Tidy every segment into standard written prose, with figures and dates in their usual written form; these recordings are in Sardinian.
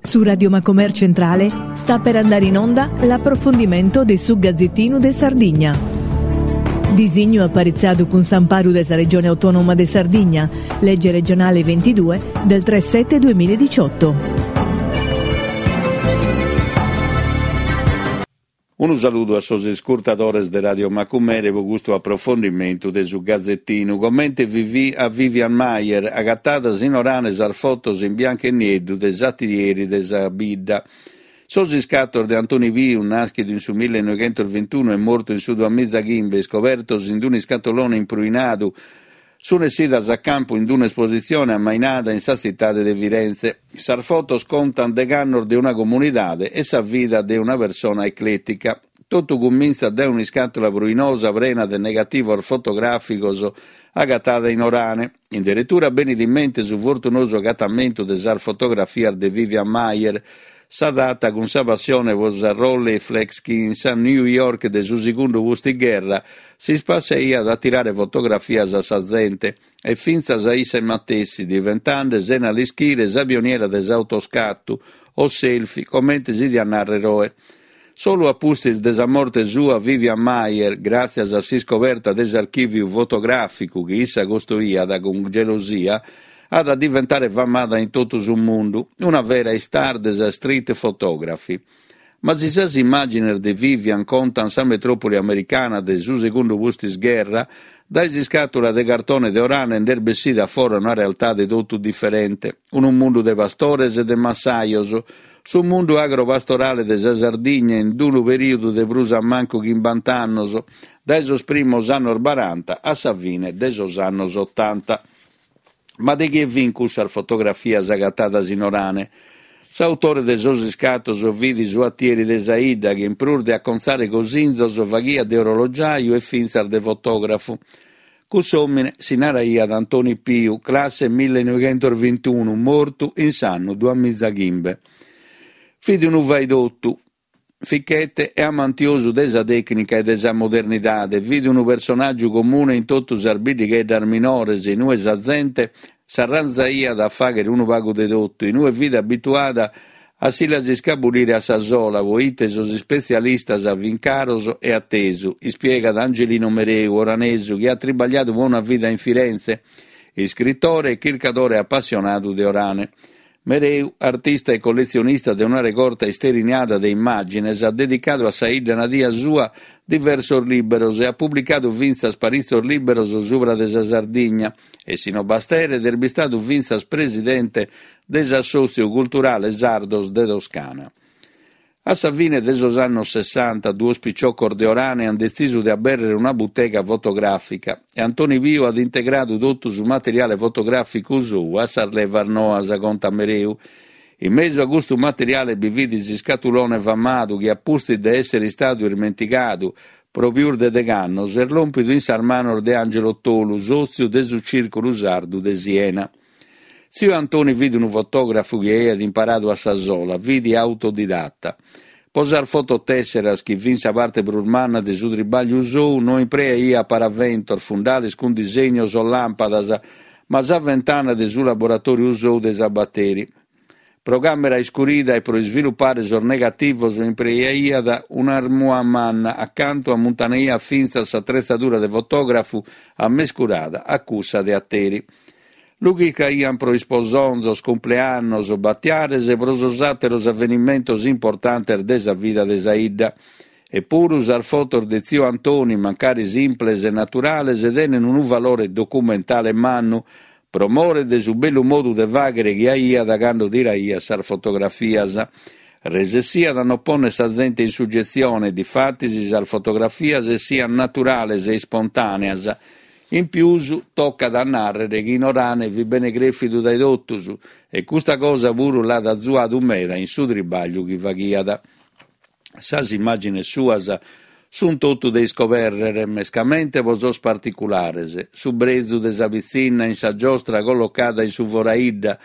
Su Radio Macomer Centrale sta per andare in onda l'approfondimento de su Gazzettinu de Sardigna. Disignu aparitzadu cun s'amparu de sa Regione Autonoma de Sardigna, legge regionale 22 del 3 7 2018. Unu saludu a sos iscurtadores de Radio Macumere pro custu aprofondimentu de su Gazetinu. Comente a Vivian Maier, agatadas in Orane sas fotos in biancu e nieddu de s'atieri de sa bidda. Sos iscatos de Antoni Piu, nàschidu in su millenoighentosvintunu e mortu in su duamizachimbe, iscobertos in un'iscatolone impruinadu, Sunt essidas a campu in un'espositzione ammainada in sa tzitade de Firenze. Sas fotos contant degh'annos de una comunidade e sa vida de una persona eclètica. Totu cumintzat dae un'iscàtula pruinosa prena de negativos fotogràficos agatada in Orane. In deretura benit in mente su fortunosu agatamentu de sas fotografias de Vivian Maier, Sa data cun sa passione pro sa Rolleiflex chi in sa New York de su segundu pustigherra s'ispassiaiat a tirare fotografias a sa zente e fintzas a isse matessi, diventende sena l'ischire sa pioniera de s'autoscatu o selfie comente si diat nàrrere oe. Solu a pustis de sa morte sua Vivian Maier, gràtzias a s'iscoberta de s'archìviu fotogràficu chi issa costoiat cun gelosia, at a diventare famada in totu su mundu, una vera star de sa street photography. Ma si sas immàgines de Vivian contant sa metròpoli americana de su segundu pustisgherra, dae s'iscàtula de cartone de Orane nd'est bessida a fora una realtade totu diferente, unu mundu de pastores e de massajos, su mundu agropastorale de sa Sardigna in unu perìodu de prus a mancu chimbant'annos, dae sos primos annos baranta a sa fine de sos annos otanta. Ma de chie fin cussas fotografias agatadas in Orane? S'autore de sos iscatos fit su atieri de sa 'idda chi in prus de acontzare cosinzos faghiat de orologiaju e fintzas de fotògrafu. Cuss'òmine si naraiat Antoni Piu, classe millenoighentosvintunu, mortu in s'annu duamizachimbe. Fit unu faidotu, fichete e amantiosu de sa tècnica e de sa modernidade, fit unu personàgiu comune in totu sas biddigheddas minores, in ue sa zente s'arranzaiat a fàghere unu pagu de totu, in ue fit abituada a si las iscabulire a sa sola, poite sos ispetzialistas fin caros e a tesu, ispiegat Angelino Mereu, oranesu chi at tribagliadu pro una vida in Firenze, iscritore e chircadore apassionadu de Orane. Mereu, artista e colletzionista de una regorta isteriniada de immàgines, at dedicadu a sa 'idda nadia sua diversos lìberos e at publicadu fintzas paritzos lìberos subra de sa Sardigna e, si no basteret, est bistadu fintzas presidente de s'Assòtziu Culturale Sardos de Toscana. A sa fine de sos annos sessanta, duos piciocos de Orane ant detzisu de abèrrere una butega fotogràfica e Antoni Piu at integradu totu su materiale fotogràficu sou a sas levas noas, contat Mereu. In mesu a custu materiale bi fit s'iscatulone famadu chi a pustis de èssere istadu ismentigadu pro pius de degh'annos est lòmpidu in sas manos de Angelo Tolu, sòtziu de su Cìrculu Sardu de Siena. Tziu Antoni fit unu fotògrafu chi aiat imparadu a sa sola, fit autodidata. Pro sas fototèsseras, chi fin sa parte prus manna de su tribàgliu sou, no impreaiat paraventos, fundales cun disegnos o làmpadas, ma sa ventana de su laboratòriu sou de sabateri. Pro càmera iscurida e pro isvilupare sos negativos impreaiat un'armua manna, acantu ammuntanaiat fintzas s'atretzadura de fotògrafu ammescurada a cussa de ateri. Lu chircaiant pro isposonzos, cumpleannos, batiares e pro sos àteros avenimentos importantes de sa vida de sa 'idda. Epuru sas fotos de tziu Antoni, mancari simples e naturales, tenen unu valore documentale mannu, pro more de su bellu modu de fàghere chi aiat cando tiraiat sas fotografias. Resessiat a non pònnere sa zente in sugetzione, difatis sas fotografias essiant naturales e ispontàneas. In pius, tocat a nàrrere chi in Orane fit bene crèfidu dae totus e custa cosa puru l'at azuadu meda in su tribàgliu chi faghiat. Sas immàgines suas sunt totu de iscobèrrere, mescamente pro sos particulares, su brezu de sa pitzinna in sa giostra collocada in su foraidda,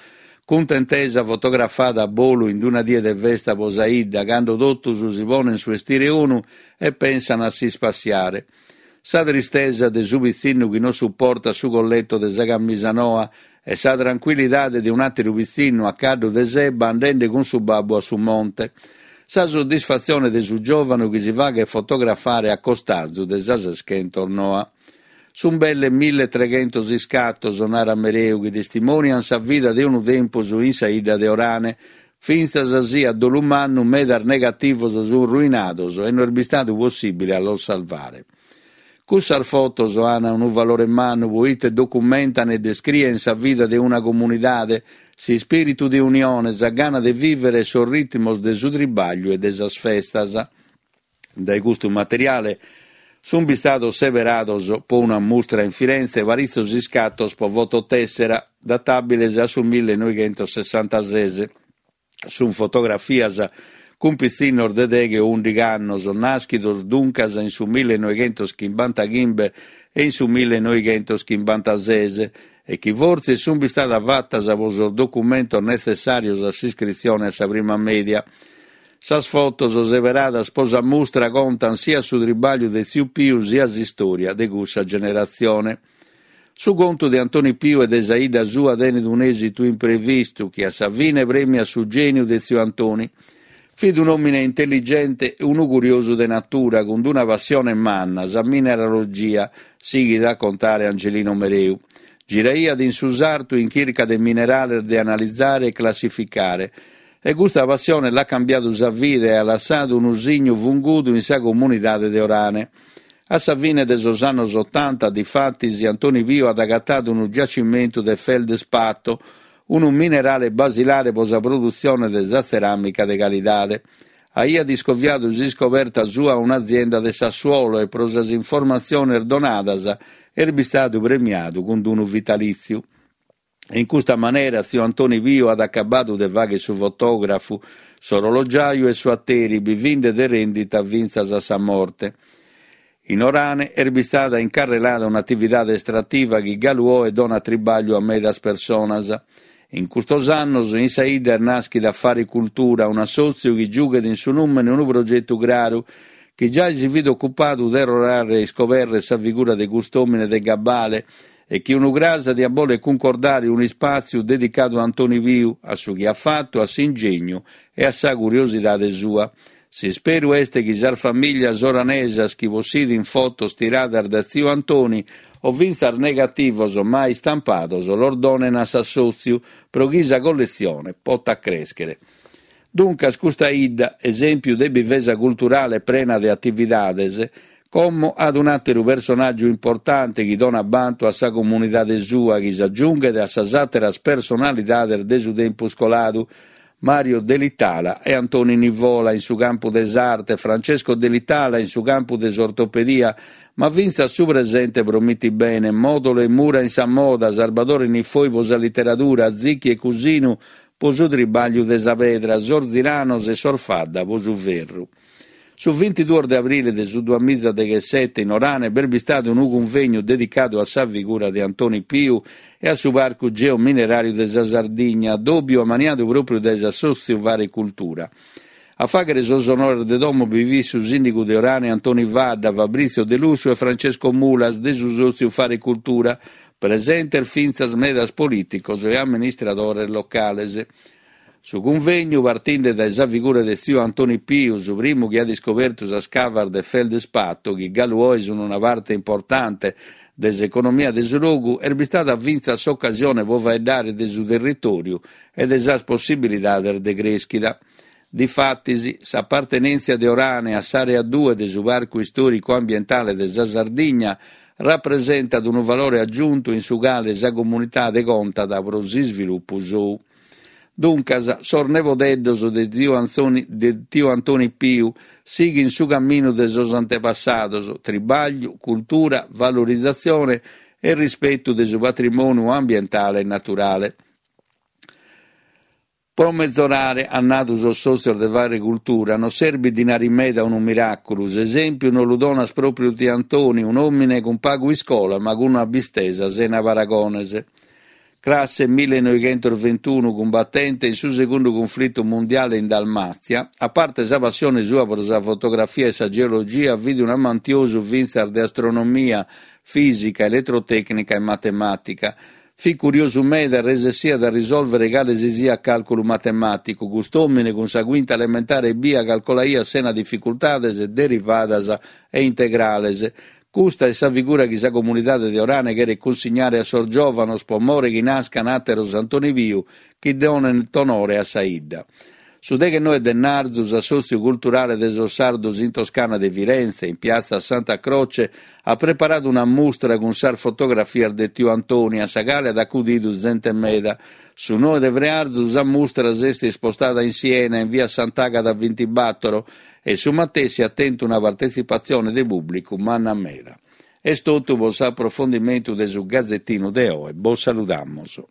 cuntentesa fotografada a bolu in una die de festa pro sa 'idda, cando totus si ponent su 'estire 'onu e pensan a s'ispassiare. Sa tristesa de su pitzinnu chi non suportat su colletto de sa camisa noa. E sa trancuillidade de un'àteru pitzinnu a caddu de s'ebba andende cun su babbu a su monte. Sa soddisfatzione de su giòvanu chi si faghet fotografare a costazu de sa seschentos noa. Sunt belle milletreghentos iscatos, narat Mereu, chi testimòniant sa vida de unu tempus in sa 'idda de Orane, fintzas si a dolu mannu medas negativos sunt ruinados e no est bistadu possìbile a los salvare. Cussas fotos an unu valore mannu poite documentan e descrien sa vida de una comunidade, s'ispìritu de unione, sa gana de vìvere e sos ritmos de su tribagliu e de sas festas. Dae custu materiale sunt bistados seberados po una mustra in Firenze paritzos iscatos po fototèssera datàbiles a su millenoighentosessantases. Sunt fotografias cun pitzinnos de deghe o ùndighi annos, nàschidos duncas in su millenoighentoschimbantachimbe e in su millenoighentoschimbanta-ses e chi fortzis sunt bistadas fatas pro sos documentos netzessàrios a s'iscritzione a sa prima mèdia. Sas fotos seberadas pro sa mustra contant siat su tribàgliu de tziu Piu siat s'istòria de cussa generatzione. Su contu de Antoni Piu e de sa 'idda sua tenet un'èsitu imprevistu chi a sa fine prèmiat su gèniu de tziu Antoni. Fit un'òmine intelligente e unu curiosu de natura cun una passione manna, sa mineralogia, sighit a contare Angelino Mereu. Giraiat in su sartu in chirca de minerales de analizare e classificare. E custa passione l'at cambiadu sa vida e at lassadu unu signu fungudu in sa comunidade de Orane. A sa fine de sos annos otanta, difatis, Antoni Piu at agatadu unu giacimentu de feldspato, unu minerale basilare pro sa produtzione de sa tzeràmica de calidade. Aiat iscoviadu s'iscoberta sua a un'azienda de Sassuolo e pro sas informatziones donadas est bistadu premiadu cun unu vitalìtziu. E in custa manera tziu Antoni Piu at acabadu de fagher su fotògrafu, s'orologiaju e su ateri, bivinde de rendita fintzas a sa morte. In Orane est bistada incarrelada un'atividade estrativa chi galu oe donat tribagliu a medas personas. In custos annos in sa 'idda est nàschida Fare Cultura, un'assòtziu chi giughet in su nùmene unu progetu craru, chi giai si fit ocupadu de torrare a iscoberrer sa figura de cust'òmine de gabbale e chi unu cras diat boler cuncordare un'ispàtziu dedicadu a Antoni Piu, a su chi at fatu, a s'ingegnu e a sa curiosidade sua. S'isperu est chi sas famìlias oranesas chi possidint fotos tiradas da tziu Antoni o fintzas negativos mai istampados los donen a s'assòtziu pro chi sa colletzione potat crèschere. Duncas custa 'idda, esèmpiu de bivesa culturale prena de atividades, como at un'àteru personàgiu importante chi donat bantu a sa comunidade sua chi s'agiunghet a sas àteras personalidades de su tempus coladu, Mario Delitala e Antoni Nivola in su campu de s'arte, Francesco Delitala in su campu de s'ortopedia, ma fintzas su presente promitit bene, Modolo e Mura in sa moda, Sarbadore Niffoi pro sa literadura, Zichi e Cusinu po su tribàgliu de sa pedra, sos Ziranos e sos Fadda po su ferru. Su bintiduos de abrile de su duamizadeghessete in Orane b'est bistadu unu cunvegnu dedicadu a sa figura de Antoni Piu e a su Parcu Geomineràriu de sa Sardigna, addòbiu ammaniadu pròpriu dae s'assòtziu Fare Cultura. A fàghere sos onores de domo bi fit su sìndigu de Orane Antoni Fadda, Fabrizio Delussu e Francesco Mulas de su sòtziu Fare Cultura, Presentes fintzas medas polìticos e amministradores locales. Su cunvegnu, partinde dae sa figura de tziu Antoni Piu, su primu chi at iscobertu sas cavas de feldspato, chi galu oe sun una parte importante de s'economia de su logu, est bistada fintzas s'ocasione pro faeddare de su territòriu e de sas possibilidades de crèschida. Difatis, s'apartenèntzia de Orane a s'Àrea due de su Parcu Istòricu Ambientale de sa Sardigna rapresentat unu valore agiuntu in su cale sa comunidade contat pro s'isvilupu sou. Duncas, sos nebodeddos de de tiu Antoni Piu sighint su caminu de sos antepassados, tribàgliu, cultura, valorizatzione e rispetu de su patrimòniu ambientale e naturale. Pro mezorare, an nadu sos sòtzios de Fare Cultura, non serbit dinari meda o unu miràculu, s'esèmpiu nos lu donat pròpriu tiu Antoni, un'òmine cun pagu iscola ma cun un'abbistesa sena paragones. Classe millenoighentosventunu, cumbatente in su segundu cunflitu mundiale in Dalmàtzia, a parte sa passione sua pro sa fotografia e sa geologia fit un'amantiosu fintzas de astronomia, fìsica, eletrotècnica e matemàtica. Fit curiosu meda e resessiat a risòlvere cale si siat càlculu matemàticu. Cust'òmine cun sa cuinta elementare ebbia calcolaiat sena dificultades derivadas e integrales. Custa est sa figura chi sa comunidade de Orane cheret cunsignare a sos giòvanos pro more chi nascan àteros Antoni Piu chi donent onore a sa 'idda. Su deghennoe de 'ennarzu s'Assòtziu Culturale de sos Sardos in Toscana de Firenze, in piazza Santa Croce, at preparadu una mustra cun sas fotografias de tiu Antoni, a sa cale at acudidu zente meda. Su noe de frearzu sa mustra s'est ispostada in Siena, in via Sant'Agata bintibàtoro, e su matessi at tentu una partetzipatzione de pùblicu manna meda. Est totu pro s'aprofondimentu de su Gazetinu de oe. Bos saludamus.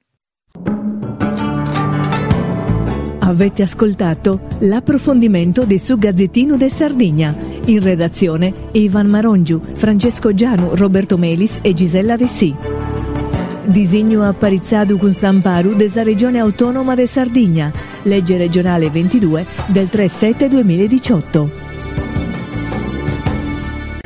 Avete ascoltato l'approfondimento de su Gazzettino de Sardigna. In redazione Ivan Marongiu, Francesco Gianu, Roberto Melis e Gisella Dessì. Disignu aparitzadu cun s'amparu de sa Regione Autonoma de Sardigna, legge regionale 22 del 3 7 2018.